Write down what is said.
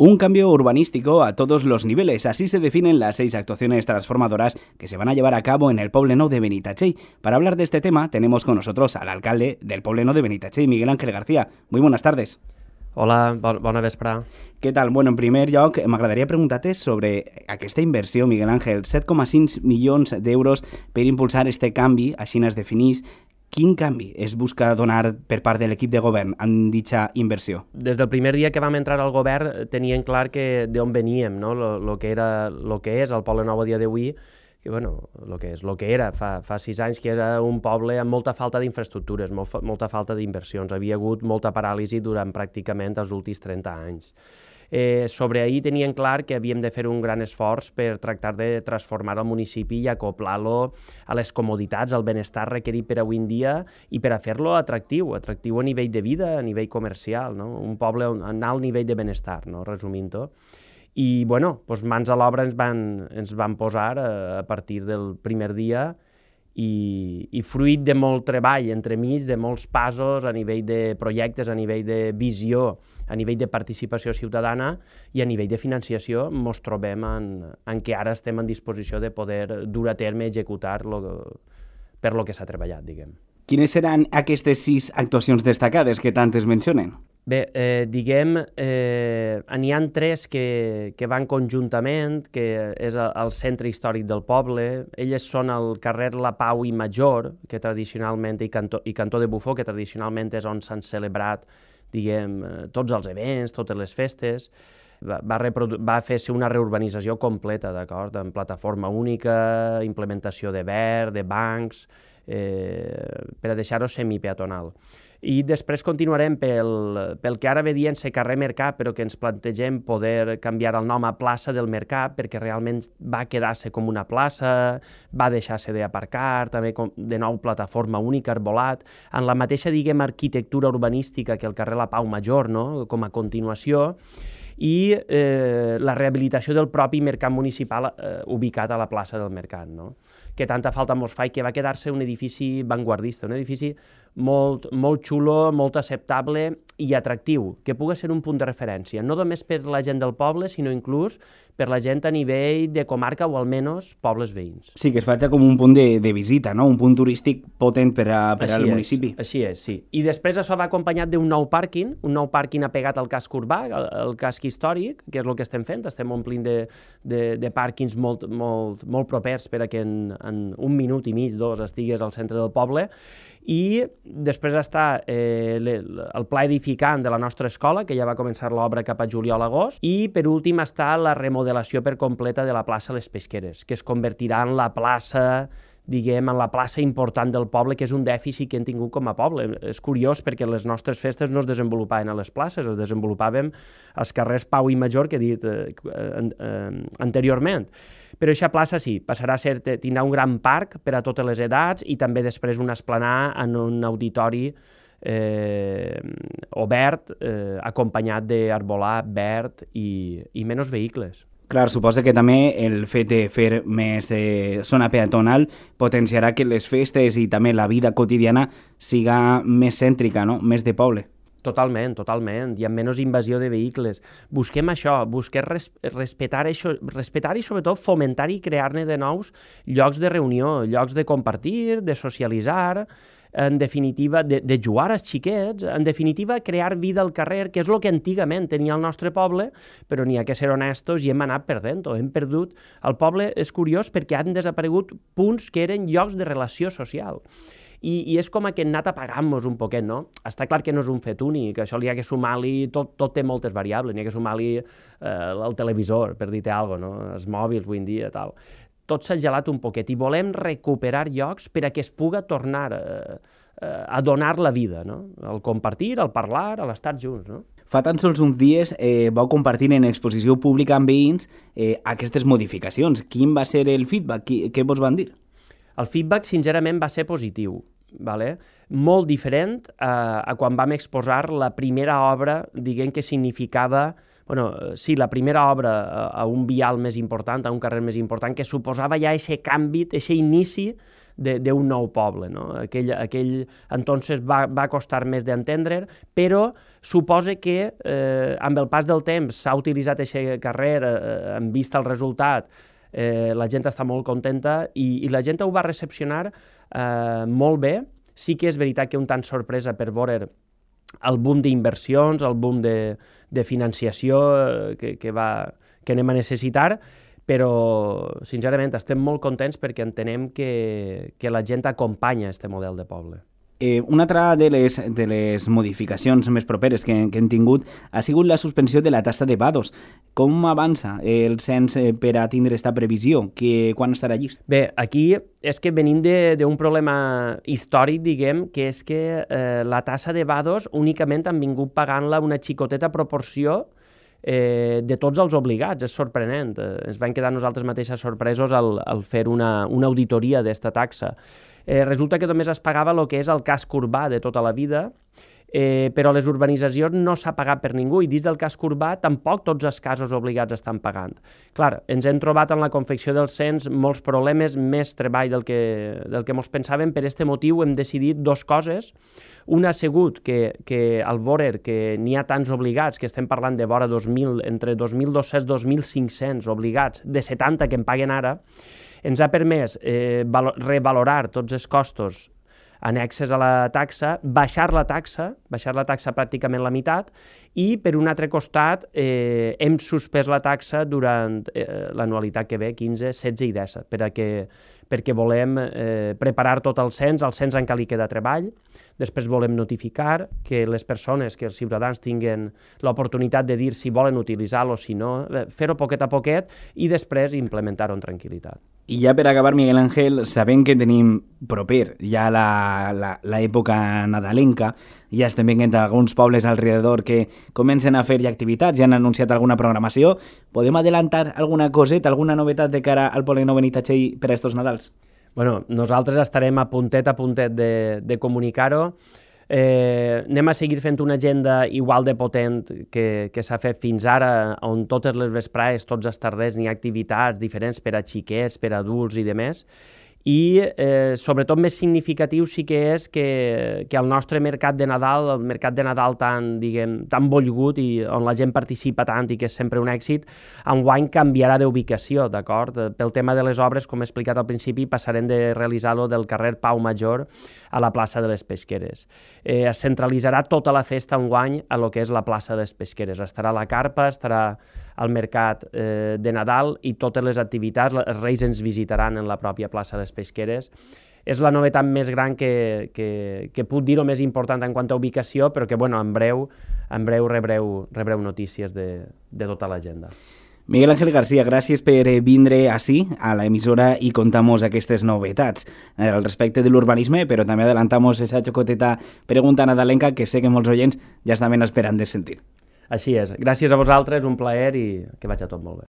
Un cambio urbanístico a todos los niveles, así se definen las 6 actuaciones transformadoras que se van a llevar a cabo en el Poblenou de Benitatxell. Para hablar de este tema tenemos con nosotros al alcalde del Poblenou de Benitatxell, Miguel Ángel García. Muy buenas tardes. Hola, bona vespre. Què tal? Bueno, en primer lloc, m'agradaria preguntar-te sobre aquesta inversió, Miguel Ángel, 7,5 milions d'euros per impulsar este canvi, així es definís. Quin canvi es busca donar per part de l'equip de govern amb dicha inversió? Des del primer dia que vam entrar al govern tenien clar que d'on veníem, no? Lo que és el Poblenou a dia d'avui, que bueno, lo que era fa 6 anys, que era un poble amb molta falta d'infraestructures, molta falta d'inversions. Havia hagut molta paràlisi durant pràcticament els últims 30 anys. Sobre ahir tenien clar que havíem de fer un gran esforç per tractar de transformar el municipi i acoplar-lo a les comoditats, al benestar requerit per avui en dia i per a fer-lo atractiu a nivell de vida, a nivell comercial, no? Un poble amb alt nivell de benestar, no? Resumint-ho. I, bueno, doncs mans a l'obra ens van posar a partir del primer dia i fruit de molt treball entremig, de molts passos a nivell de projectes, a nivell de visió, a nivell de participació ciutadana i a nivell de financiació, ens trobem en què ara estem en disposició de poder dur a terme i executar per lo que s'ha treballat, diguem. Quines seran aquestes 6 actuacions destacades que tant es mencionen? Bé, n'hi ha 3 que van conjuntament, que és el centre històric del poble. Elles són el carrer La Pau i Major, que tradicionalment, i Cantó de Bufó, que tradicionalment és on s'han celebrat, diguem, tots els events, totes les festes. Va fer-se una reurbanització completa, d'acord? En plataforma única, implementació de verd, de bancs, per a deixar-ho semipeatonal. I després continuarem pel que ara ve dient-se carrer Mercat, però que ens plantegem poder canviar el nom a plaça del Mercat, perquè realment va quedar-se com una plaça, va deixar-se d'aparcar, també de nou plataforma única, arbolat, en la mateixa, diguem, arquitectura urbanística que el carrer La Pau Major, no? Com a continuació, i la rehabilitació del propi mercat municipal ubicat a la plaça del Mercat, no? Que tanta falta mos fa i que va quedar-se un edifici vanguardista, un edifici molt xulo, molt acceptable i atractiu, que pugui ser un punt de referència, no només per la gent del poble, sinó inclús per la gent a nivell de comarca o almenys pobles veïns. Sí, que es faci com un punt de visita, no? Un punt turístic potent per al municipi. Així és, sí. I després això va acompanyat d'un nou pàrquing apegat al casc urbà, al casc històric, que és el que estem fent, estem omplint de pàrquings molt propers per a que en 1 minut i mig, 2, estigues al centre del poble. I després està el pla edificant de la nostra escola, que ja va començar l'obra cap a juliol-agost, i per últim està la remodelació per completa de la plaça Les Pesqueres, que es convertirà en la plaça, diguem, en la plaça important del poble, que és un dèficit que hem tingut com a poble. És curiós perquè les nostres festes no es desenvolupaven a les places, es desenvolupàvem als carrers Pau i Major, que he dit anteriorment. Però aquesta plaça sí, passarà a ser, tindrà un gran parc per a totes les edats i també després una esplanada en un auditori obert, acompanyat d'arbolat, verd i menys vehicles. Clar, suposa que també el fet de fer més zona peatonal potenciarà que les festes i també la vida quotidiana siga més cèntrica, no? Més de poble. Totalment. Hi ha menys invasió de vehicles. Busquem això, busquem respetar i sobretot fomentar i crear-ne de nous llocs de reunió, llocs de compartir, de socialitzar, en definitiva, de jugar als xiquets, en definitiva, crear vida al carrer, que és el que antigament tenia el nostre poble, però n'hi ha que ser honestos i hem anat perdent-ho, hem perdut. El poble és curiós perquè han desaparegut punts que eren llocs de relació social. I és com que hem anat apagant-nos un poquet, no? Està clar que no és un fet únic, que això li ha que sumar-li, tot té moltes variables, n'hi ha que sumar-li el televisor, per dir-te alguna cosa, no? Els mòbils avui en dia, tal. Tot s'ha gelat un poquet i volem recuperar llocs per a que es puga tornar a donar la vida, no? Al compartir, al parlar, a l'estar junts, no? Fa tan sols uns dies vau compartir en exposició pública amb veïns aquestes modificacions. Quin va ser el feedback? Què vos van dir? El feedback, sincerament, va ser positiu, ¿vale? Molt diferent a quan vam exposar la primera obra, diguem que significava, la primera obra a un vial més important, a un carrer més important, que suposava ja aquest canvi, aquest inici d'un nou poble. No? Aquell entonces va costar més d'entendre, però suposa que amb el pas del temps s'ha utilitzat aquest carrer, en vista el resultat, la gent està molt contenta i la gent ho va recepcionar molt bé. Sí que és veritat que un tant sorpresa per veure el boom d'inversions, el boom de financiació que anem a necessitar, però, sincerament, estem molt contents perquè entenem que la gent acompanya aquest model de poble. Una altra de les modificacions més properes que hem tingut ha sigut la suspensió de la taxa de vados. Com avança el cens per a tindre aquesta previsió? Quan estarà llist? Bé, aquí és que venim d'un problema històric, diguem, que és que la taxa de vados únicament han vingut pagant-la una xicoteta proporció de tots els obligats. És sorprenent. Ens van quedar nosaltres mateixes sorpresos al fer una auditoria d'esta taxa. Resulta que només es pagava el que és el casc urbà de tota la vida, però a les urbanitzacions no s'ha pagat per ningú i dins del casc urbà tampoc tots els casos obligats estan pagant. Clar, ens hem trobat en la confecció del cens molts problemes, més treball del que ens pensàvem. Per aquest motiu hem decidit dues coses. Una ha sigut que al veure que n'hi ha tants obligats, que estem parlant de vora 2.000, entre 2.200 i 2.500 obligats, de 70 que en paguen ara, ens ha permès revalorar tots els costos annexes a la taxa, baixar la taxa pràcticament la meitat, i per un altre costat hem suspès la taxa durant l'anualitat que ve, 15, 16 i 17, perquè volem preparar tot el cens encara li queda treball. Després volem notificar que les persones, que els ciutadans tinguen l'oportunitat de dir si volen utilitzar-lo o si no, fer-ho poquet a poquet i després implementar-ho en tranquil·litat. I ja per acabar, Miguel Ángel, sabent que tenim proper ja l'època nadalenca, ja estem veient alguns pobles alrededor que comencen a fer ja activitats, ja han anunciat alguna programació. Podem adelantar alguna coseta, alguna novetat de cara al poble nou Benitatxell per a estos Nadals? Bueno, nosaltres estarem a puntet de comunicar-ho. Anem a seguir fent una agenda igual de potent que s'ha fet fins ara, on totes les vesprades, tots els tarders, n'hi ha activitats diferents per a xiquets, per a adults i demés. I sobretot més significatiu sí que és que el nostre mercat de Nadal, el mercat de Nadal tan volgut i on la gent participa tant i que és sempre un èxit, enguany canviarà d'ubicació, d'acord? Pel tema de les obres, com he explicat al principi, passarem de realitzar-lo del carrer Pau Major a la plaça de les Pesqueres. Es centralitzarà tota la festa enguany a lo que és la plaça de les Pesqueres. Estarà la carpa, estarà al mercat de Nadal i totes les activitats, els Reis ens visitaran en la pròpia plaça de les Pesqueres. És la novetat més gran que puc dir, o més important en quant a ubicació, però que en breu rebreu notícies de tota l'agenda. Miguel Ángel García, gràcies per vindre ací, a l'emissora, i contar-nos aquestes novetats al respecte de l'urbanisme, però també adelantamos esa xocoteta pregunta nadalenca que sé que molts oients ja estaven esperant de sentir. Així és. Gràcies a vosaltres, un plaer i que vagi tot molt bé.